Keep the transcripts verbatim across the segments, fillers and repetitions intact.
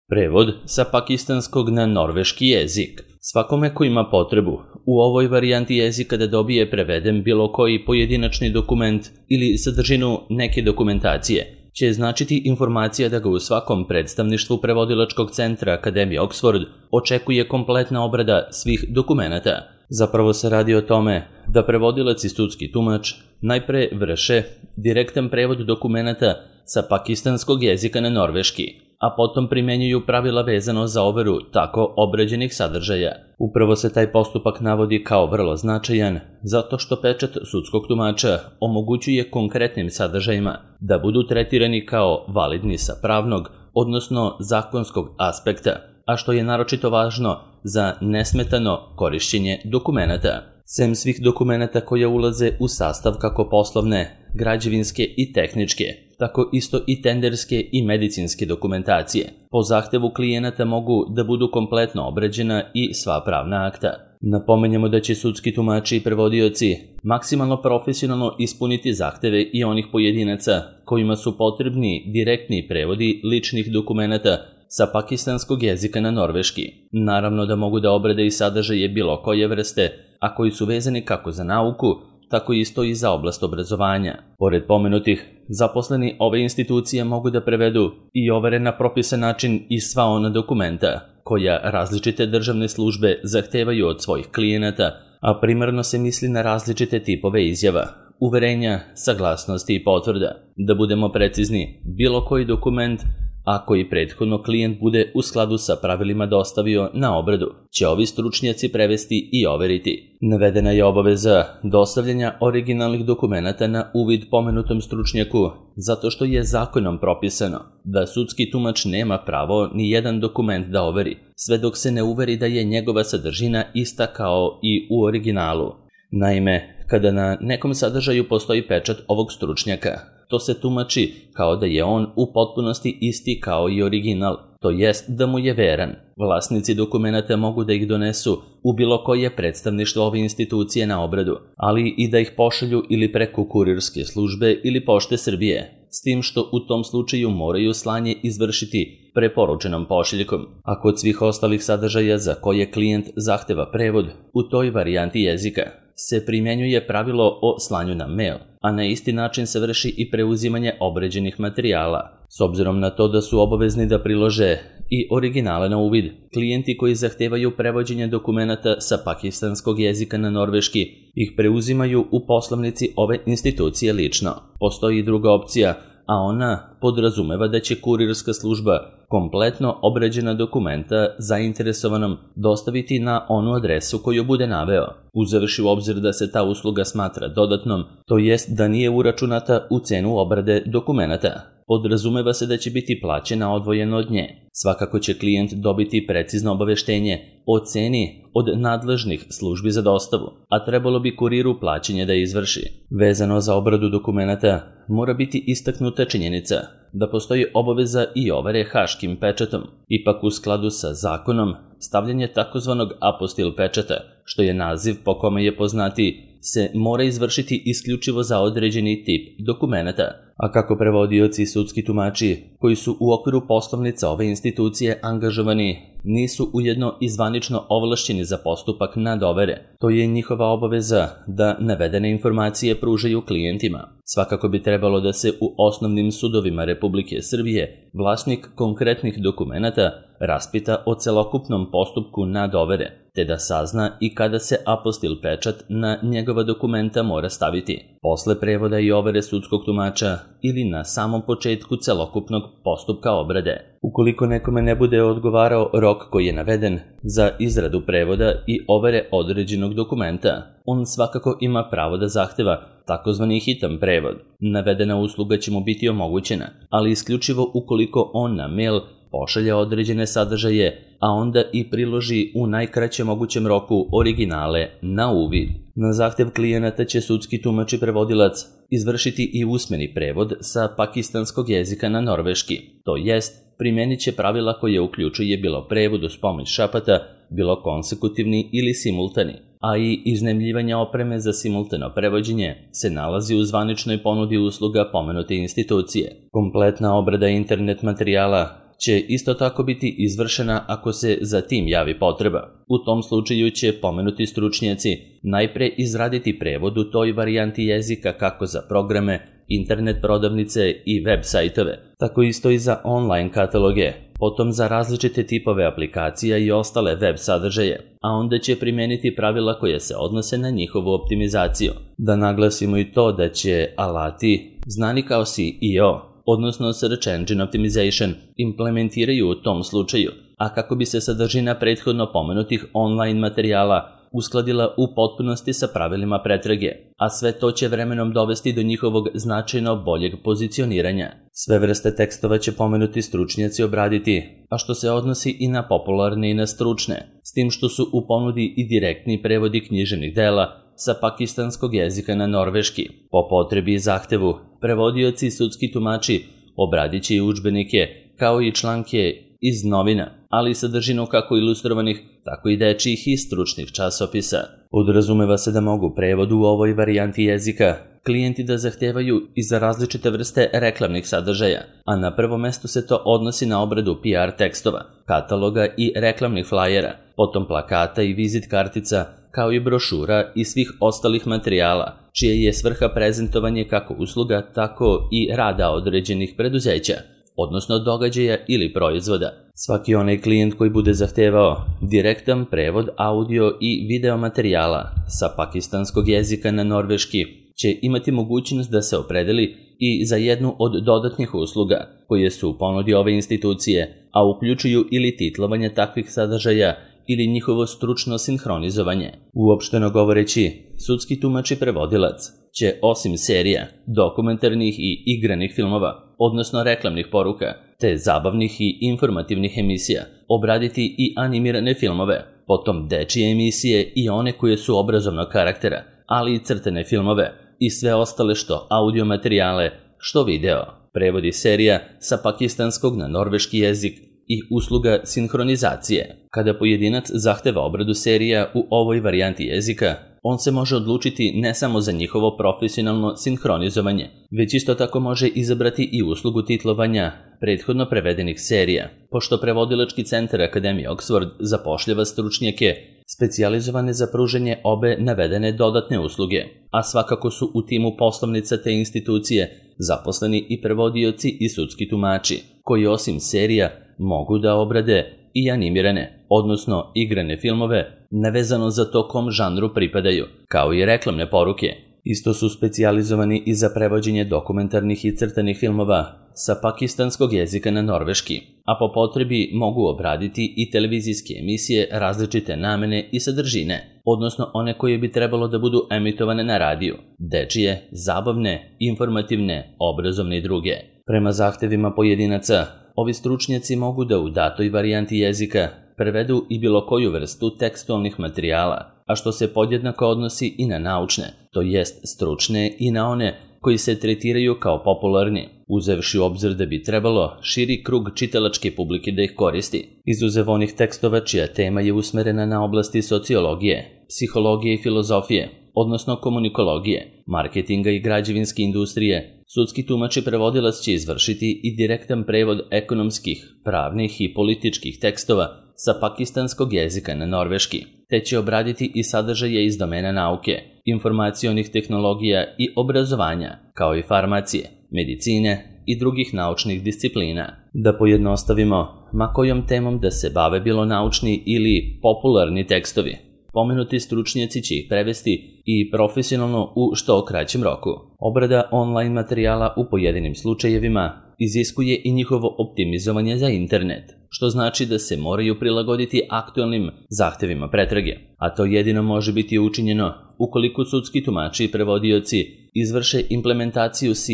Prevod sa pakistanskog na norveški jezik. Svakome ko ima potrebu u ovoj varijanti jezika da dobije preveden bilo koji pojedinačni dokument ili sadržinu neke dokumentacije, će značiti informacija da ga u svakom predstavništvu prevodilačkog centra Akademije Oxford očekuje kompletna obrada svih dokumenata. Zapravo se radi o tome da prevodilac i sudski tumač najpre vrše direktan prevod dokumenata sa pakistanskog jezika na norveški, a potom primenjuju pravila vezano za overu tako obrađenih sadržaja. Upravo se taj postupak navodi kao vrlo značajan, zato što pečat sudskog tumača omogućuje konkretnim sadržajima da budu tretirani kao validni sa pravnog, odnosno zakonskog aspekta, a što je naročito važno za nesmetano korišćenje dokumenata. Sem svih dokumenata koje ulaze u sastav kako poslovne, građevinske i tehničke, tako isto i tenderske i medicinske dokumentacije, po zahtevu klijenata mogu da budu kompletno obrađena i sva pravna akta. Napomenjamo da će sudski tumači i prevodioci maksimalno profesionalno ispuniti zahteve i onih pojedinaca kojima su potrebni direktni prevodi ličnih dokumenata sa pakistanskog jezika na norveški. Naravno da mogu da obrade i sadržaje bilo koje vrste, a koji su vezani kako za nauku, tako isto i za oblast obrazovanja. Pored pomenutih, zaposleni ove institucije mogu da prevedu i overe na propisan način i sva ona dokumenta koja različite državne službe zahtevaju od svojih klijenata, a primarno se misli na različite tipove izjava, uverenja, saglasnosti i potvrda. Da budemo precizni, bilo koji dokument, a koji prethodno klijent bude u skladu sa pravilima dostavio na obradu, će ovi stručnjaci prevesti i overiti. Navedena je obaveza dostavljanja originalnih dokumenata na uvid pomenutom stručnjaku, zato što je zakonom propisano da sudski tumač nema pravo ni jedan dokument da overi, sve dok se ne uveri da je njegova sadržina ista kao i u originalu. Naime, kada na nekom sadržaju postoji pečat ovog stručnjaka, to se tumači kao da je on u potpunosti isti kao i original, to jest da mu je veran. Vlasnici dokumenata mogu da ih donesu u bilo koje predstavništvo ove institucije na obradu, ali i da ih pošalju ili preko kurirske službe ili Pošte Srbije, s tim što u tom slučaju moraju slanje izvršiti preporučenom pošiljkom, a kod svih ostalih sadržaja za koje klijent zahteva prevod u toj varijanti jezika se primjenjuje pravilo o slanju na mail, a na isti način se vrši i preuzimanje obrađenih materijala. S obzirom na to da su obavezni da prilože i originale na uvid, klijenti koji zahtevaju prevođenje dokumenata sa pakistanskog jezika na norveški ih preuzimaju u poslovnici ove institucije lično. Postoji i druga opcija, a ona podrazumeva da će kurirska služba kompletno obrađena dokumenta zainteresovanom dostaviti na onu adresu koju bude naveo, uzevši u obzir da se ta usluga smatra dodatnom, to jest da nije uračunata u cenu obrade dokumenata. Podrazumeva se da će biti plaćena odvojeno od nje. Svakako će klijent dobiti precizno obaveštenje o ceni od nadležnih službi za dostavu, a trebalo bi kuriru plaćanje da izvrši. Vezano za obradu dokumenata, mora biti istaknuta činjenica da postoji obaveza i overe haškim pečatom. Ipak u skladu sa zakonom, stavljanje takozvanog apostil pečata, što je naziv po kome je poznati, se mora izvršiti isključivo za određeni tip dokumenata, a kako prevodioci i sudski tumači koji su u okviru poslovnica ove institucije angažovani nisu ujedno i zvanično ovlašćeni za postupak nadovere, to je njihova obaveza da navedene informacije pružaju klijentima. Svakako bi trebalo da se u osnovnim sudovima Republike Srbije vlasnik konkretnih dokumenata raspita o celokupnom postupku nadovere, te da sazna i kada se apostil pečat na njegova dokumenta mora staviti, posle prevoda i overe sudskog tumača ili na samom početku celokupnog postupka obrade. Ukoliko nekome ne bude odgovarao rok koji je naveden za izradu prevoda i overe određenog dokumenta, on svakako ima pravo da zahteva takozvani hitan prevod. Navedena usluga će mu biti omogućena, ali isključivo ukoliko on na mail pošalje određene sadržaje, a onda i priloži u najkraćem mogućem roku originale na uvid. Na zahtev klijenata će sudski tumač i prevodilac izvršiti i usmeni prevod sa pakistanskog jezika na norveški, to jest primenit će pravila koje uključuje bilo prevod uz pomoć šapata, bilo konsekutivni ili simultani, a i iznajmljivanje opreme za simultano prevođenje se nalazi u zvaničnoj ponudi usluga pomenute institucije. Kompletna obrada internet materijala će isto tako biti izvršena ako se za tim javi potreba. U tom slučaju će pomenuti stručnjaci najpre izraditi prevod u toj varijanti jezika kako za programe, internet prodavnice i web sajtove, tako isto i za online kataloge, potom za različite tipove aplikacija i ostale web sadržaje, a onda će primeniti pravila koje se odnose na njihovu optimizaciju. Da naglasimo i to da će alati, znani kao S E O, odnosno Search Engine Optimization, implementiraju u tom slučaju, a kako bi se sadržina prethodno pomenutih online materijala uskladila u potpunosti sa pravilima pretrage, a sve to će vremenom dovesti do njihovog značajno boljeg pozicioniranja. Sve vrste tekstova će pomenuti stručnjaci obraditi, a što se odnosi i na popularne i na stručne, s tim što su u ponudi i direktni prevodi književnih dela sa pakistanskog jezika na norveški. Po potrebi i zahtevu, prevodioci i sudski tumači obradit će i udžbenike, kao i članke iz novina, ali i sadržinu kako ilustrovanih, tako i dečijih i stručnih časopisa. Podrazumeva se da mogu prevod u ovoj varijanti jezika klijenti da zahtevaju i za različite vrste reklamnih sadržaja, a na prvom mestu se to odnosi na obradu P R tekstova, kataloga i reklamnih flajera, potom plakata i vizit kartica, kao i brošura i svih ostalih materijala, čije je svrha prezentovanje kako usluga, tako i rada određenih preduzeća, odnosno događaja ili proizvoda. Svaki onaj klijent koji bude zahtevao direktan prevod audio i video materijala sa pakistanskog jezika na norveški će imati mogućnost da se opredeli i za jednu od dodatnih usluga koje su u ponudi ove institucije, a uključuju ili titlovanje takvih sadržaja ili njihovo stručno sinhronizovanje. Uopšteno govoreći, sudski tumač i prevodilac će osim serija, dokumentarnih i igranih filmova, odnosno reklamnih poruka, te zabavnih i informativnih emisija, obraditi i animirane filmove, potom dečije emisije i one koje su obrazovnog karaktera, ali i crtene filmove i sve ostale što audio materijale, što video, prevodi serija sa pakistanskog na norveški jezik i usluga sinhronizacije. Kada pojedinac zahteva obradu serija u ovoj varijanti jezika, on se može odlučiti ne samo za njihovo profesionalno sinhronizovanje, već isto tako može izabrati i uslugu titlovanja prethodno prevedenih serija, pošto prevodilački centar Akademije Oxford zapošljava stručnjake specijalizovane za pružanje obe navedene dodatne usluge, a svakako su u timu poslovnica te institucije zaposleni i prevodioci i sudski tumači, koji osim serija mogu da obrade i animirane, odnosno igrane filmove, nevezano za to kom žanru pripadaju, kao i reklamne poruke. Isto su specijalizovani i za prevođenje dokumentarnih i crtanih filmova sa pakistanskog jezika na norveški, a po potrebi mogu obraditi i televizijske emisije različite namene i sadržine, odnosno one koje bi trebalo da budu emitovane na radiju, dečije, zabavne, informativne, obrazovne i druge. Prema zahtevima pojedinaca, ovi stručnjaci mogu da u datoj varijanti jezika prevedu i bilo koju vrstu tekstualnih materijala, a što se podjednako odnosi i na naučne, to jest stručne i na one koji se tretiraju kao popularni, uzevši u obzir da bi trebalo širi krug čitalačke publike da ih koristi, izuzev onih tekstova čija tema je usmerena na oblasti sociologije, psihologije i filozofije, odnosno komunikologije, marketinga i građevinske industrije. Sudski tumač i prevodilac će izvršiti i direktan prevod ekonomskih, pravnih i političkih tekstova sa pakistanskog jezika na norveški, te će obraditi i sadržaje iz domena nauke, informacionih tehnologija i obrazovanja, kao i farmacije, medicine i drugih naučnih disciplina. Da pojednostavimo, ma kojom temom da se bave bilo naučni ili popularni tekstovi, pomenuti stručnjaci će ih prevesti i profesionalno u što kraćem roku. Obrada online materijala u pojedinim slučajevima iziskuje i njihovo optimizovanje za internet, što znači da se moraju prilagoditi aktualnim zahtevima pretrage, a to jedino može biti učinjeno ukoliko sudski tumači i prevodioci izvrše implementaciju S E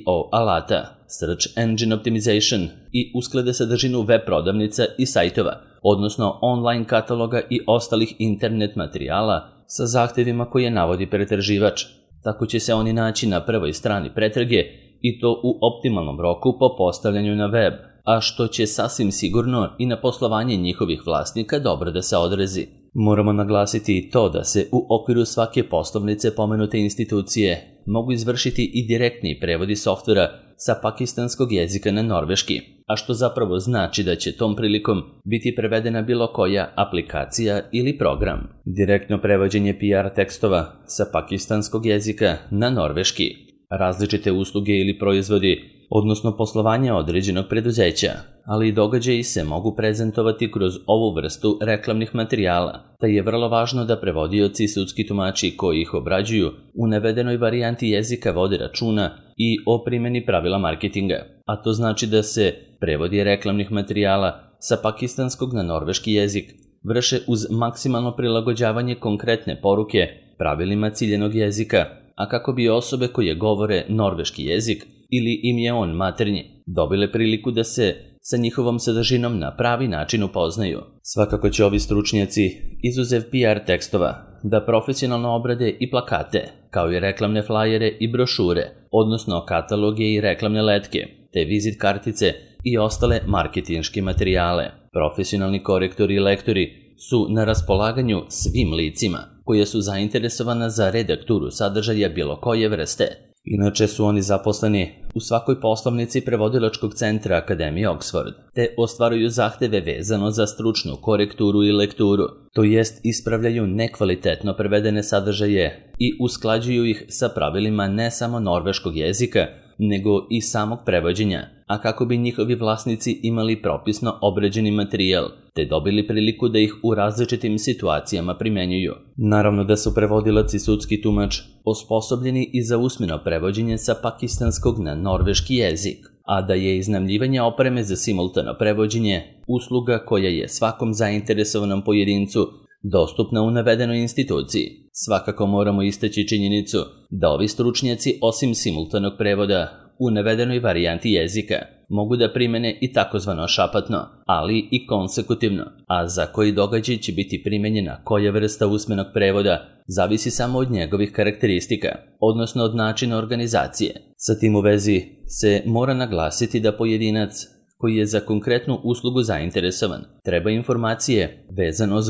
O alata, Search Engine Optimization, i usklade sadržinu web prodavnica i sajtova, odnosno online kataloga i ostalih internet materijala sa zahtevima koje navodi pretraživač. Tako će se oni naći na prvoj strani pretrage i to u optimalnom roku po postavljanju na web, a što će sasvim sigurno i na poslovanje njihovih vlasnika dobro da se odrazi. Moramo naglasiti i to da se u okviru svake poslovnice pomenute institucije mogu izvršiti i direktni prevodi softvera sa pakistanskog jezika na norveški, a što zapravo znači da će tom prilikom biti prevedena bilo koja aplikacija ili program. Direktno prevođenje P R tekstova sa pakistanskog jezika na norveški, različite usluge ili proizvodi, odnosno poslovanje određenog preduzeća, ali i događaji se mogu prezentovati kroz ovu vrstu reklamnih materijala, te je vrlo važno da prevodioci i sudski tumači koji ih obrađuju u navedenoj varijanti jezika vode računa i o primjeni pravila marketinga, a to znači da se prevodi reklamnih materijala sa pakistanskog na norveški jezik vrše uz maksimalno prilagođavanje konkretne poruke pravilima ciljenog jezika, a kako bi osobe koje govore norveški jezik ili im je on maternji dobile priliku da se sa njihovom sadržinom na pravi način upoznaju. Svakako će ovi stručnjaci, izuzev P R tekstova, da profesionalno obrade i plakate, kao i reklamne flajere i brošure, odnosno kataloge i reklamne letke, te vizit kartice i ostale marketinške materijale. Profesionalni korektori i lektori su na raspolaganju svim licima koje su zainteresovana za redakturu sadržaja bilo koje vrste. Inače su oni zaposleni u svakoj poslovnici prevodilačkog centra Akademije Oxford, te ostvaruju zahteve vezano za stručnu korekturu i lekturu, to jest ispravljaju nekvalitetno prevedene sadržaje i usklađuju ih sa pravilima ne samo norveškog jezika, nego i samog prevođenja, a kako bi njihovi vlasnici imali propisno obrađeni materijal, te dobili priliku da ih u različitim situacijama primenjuju. Naravno da su prevodilac i sudski tumač osposobljeni i za usmeno prevođenje sa pakistanskog na norveški jezik, a da je iznajmljivanje opreme za simultano prevođenje usluga koja je svakom zainteresovanom pojedincu dostupna u navedenoj instituciji. Svakako moramo istaći činjenicu da ovi stručnjaci osim simultanog prevoda u navedenoj varijanti jezika mogu da primene i takozvano šapatno, ali i konsekutivno, a za koji događaj će biti primenjena koja vrsta usmenog prevoda zavisi samo od njegovih karakteristika, odnosno od načina organizacije. Sa tim u vezi se mora naglasiti da pojedinac koji je za konkretnu uslugu zainteresovan treba informacije vezano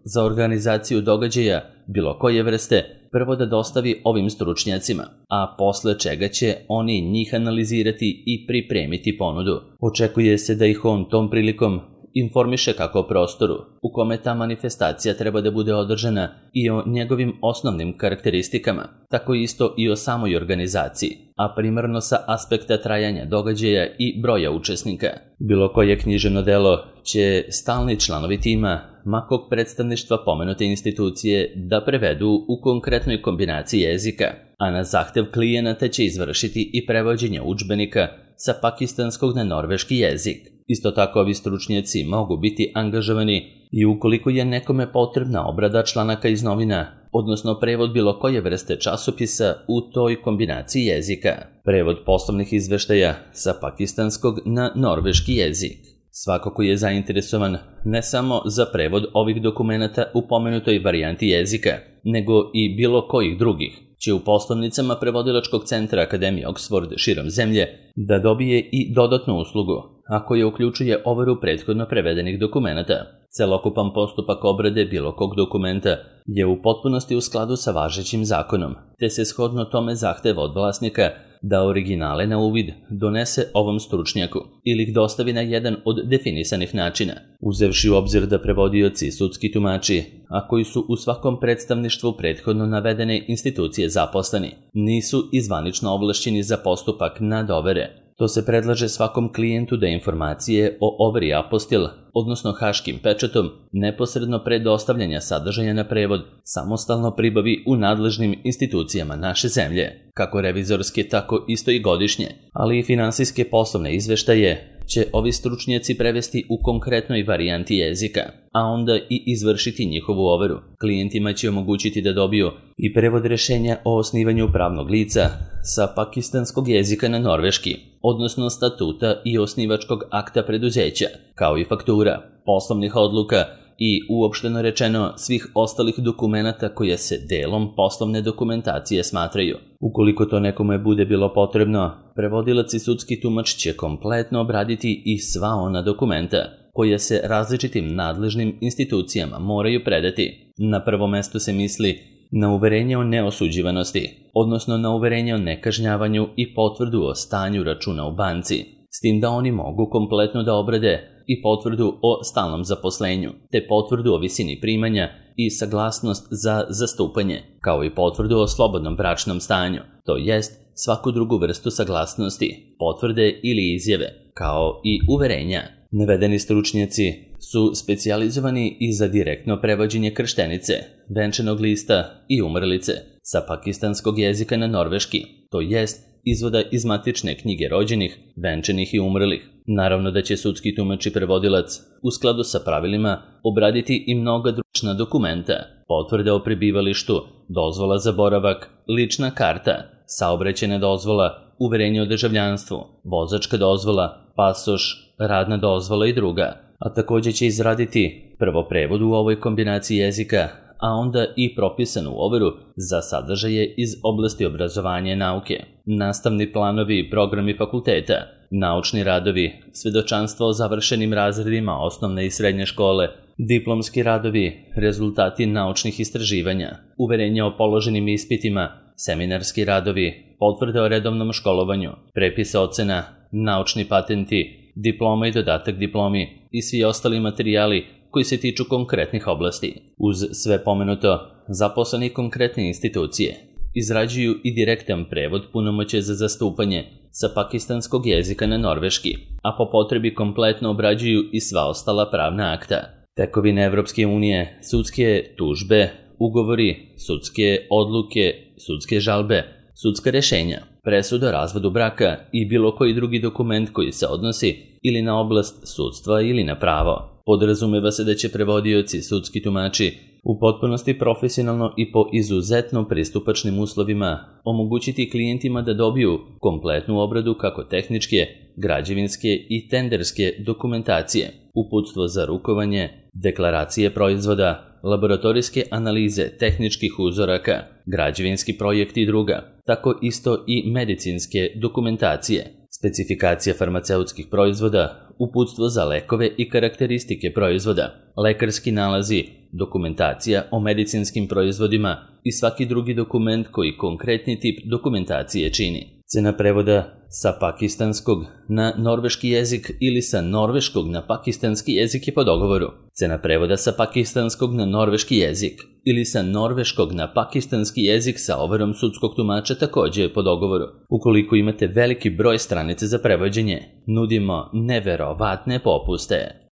za organizaciju događaja bilo koje vrste prvo da dostavi ovim stručnjacima, a posle čega će oni njih analizirati i pripremiti ponudu. Očekuje se da ih on tom prilikom informiše kako o prostoru u kome ta manifestacija treba da bude održana i o njegovim osnovnim karakteristikama, tako isto i o samoj organizaciji, a primarno sa aspekta trajanja događaja i broja učesnika. Bilo koje književno delo će stalni članovi tima makog predstavništva pomenute institucije da prevedu u konkretnoj kombinaciji jezika, a na zahtev klijenata će izvršiti i prevođenje udžbenika sa pakistanskog na norveški jezik. Isto tako ovi stručnjaci mogu biti angažovani i ukoliko je nekome potrebna obrada članaka iz novina, odnosno prevod bilo koje vrste časopisa u toj kombinaciji jezika, prevod poslovnih izveštaja sa pakistanskog na norveški jezik. Svako ko je zainteresovan ne samo za prevod ovih dokumenata u pomenutoj varijanti jezika, nego i bilo kojih drugih, će u poslovnicama prevodilačkog centra Akademije Oxford širom zemlje da dobije i dodatnu uslugu, a koja uključuje overu prethodno prevedenih dokumenata. Celokupan postupak obrade bilo kog dokumenta je u potpunosti u skladu sa važećim zakonom, te se shodno tome zahteva od vlasnika da originale na uvid donese ovom stručnjaku ili ih dostavi na jedan od definisanih načina, uzevši u obzir da prevodioci i sudski tumači, a koji su u svakom predstavništvu prethodno navedene institucije zaposleni, nisu izvanično ovlašćeni za postupak nadovere. To se predlaže svakom klijentu da informacije o overi apostil, odnosno haškim pečatom, neposredno pre dostavljanja sadržaja na prevod, samostalno pribavi u nadležnim institucijama naše zemlje, kako revizorske, tako isto i godišnje, ali i finansijske poslovne izveštaje će ovi stručnjaci prevesti u konkretnoj varijanti jezika, a onda i izvršiti njihovu overu. Klijentima će omogućiti da dobiju i prevod rešenja o osnivanju pravnog lica sa pakistanskog jezika na norveški, odnosno statuta i osnivačkog akta preduzeća, kao i faktura, poslovnih odluka i uopšteno rečeno svih ostalih dokumenata koje se delom poslovne dokumentacije smatraju. Ukoliko to nekome bude bilo potrebno, prevodilac i sudski tumač će kompletno obraditi i sva ona dokumenta koje se različitim nadležnim institucijama moraju predati. Na prvo mesto se misli na uverenje o neosuđivanosti, odnosno na uverenje o nekažnjavanju i potvrdu o stanju računa u banci. s tim da oni mogu kompletno da obrade i potvrdu o stalnom zaposlenju, te potvrdu o visini primanja i saglasnost za zastupanje, kao i potvrdu o slobodnom bračnom stanju, to jest svaku drugu vrstu saglasnosti, potvrde ili izjave, kao i uverenja. Navedeni stručnjaci su specijalizovani i za direktno prevođenje krštenice, venčanog lista i umrlice sa pakistanskog jezika na norveški, to jest izvoda iz matične knjige rođenih, venčanih i umrlih. Naravno da će sudski tumač i prevodilac u skladu sa pravilima obraditi i mnoga druga dokumenta, potvrde o prebivalištu, dozvola za boravak, lična karta, saobraćajna dozvola, uverenje o državljanstvu, vozačka dozvola, pasoš, radna dozvola i druga, a također će izraditi prvo prevod u ovoj kombinaciji jezika, a onda i propisanu overu za sadržaje iz oblasti obrazovanja i nauke, nastavni planovi i programi fakulteta, naučni radovi, svedočanstvo o završenim razredima osnovne i srednje škole, diplomski radovi, rezultati naučnih istraživanja, uverenja o položenim ispitima, seminarski radovi, potvrde o redovnom školovanju, prepise ocena, naučni patenti, diploma i dodatak diplomi i svi ostali materijali koji se tiču konkretnih oblasti. Uz sve pomenuto, zaposleni konkretne institucije izrađuju i direktan prevod punomoćja za zastupanje sa pakistanskog jezika na norveški, a po potrebi kompletno obrađuju i sva ostala pravna akta. Tekovine Evropske unije, sudske tužbe, ugovori, sudske odluke, sudske žalbe, sudska rešenja, presuda o razvodu braka i bilo koji drugi dokument koji se odnosi ili na oblast sudstva ili na pravo. Podrazumeva se da će prevodioci, sudski tumači, u potpunosti profesionalno i po izuzetno pristupačnim uslovima omogućiti klijentima da dobiju kompletnu obradu kako tehničke, građevinske i tenderske dokumentacije, uputstvo za rukovanje, deklaracije proizvoda, laboratorijske analize tehničkih uzoraka, građevinski projekti i druga, tako isto i medicinske dokumentacije, specifikacija farmaceutskih proizvoda, uputstvo za lekove i karakteristike proizvoda, lekarski nalazi, dokumentacija o medicinskim proizvodima i svaki drugi dokument koji konkretni tip dokumentacije čini. Cena prevoda sa pakistanskog na norveški jezik ili sa norveškog na pakistanski jezik je po dogovoru. Cena prevoda sa pakistanskog na norveški jezik ili sa norveškog na pakistanski jezik sa overom sudskog tumača također je po dogovoru. Ukoliko imate veliki broj stranice za prevođenje, nudimo neverovatne popuste.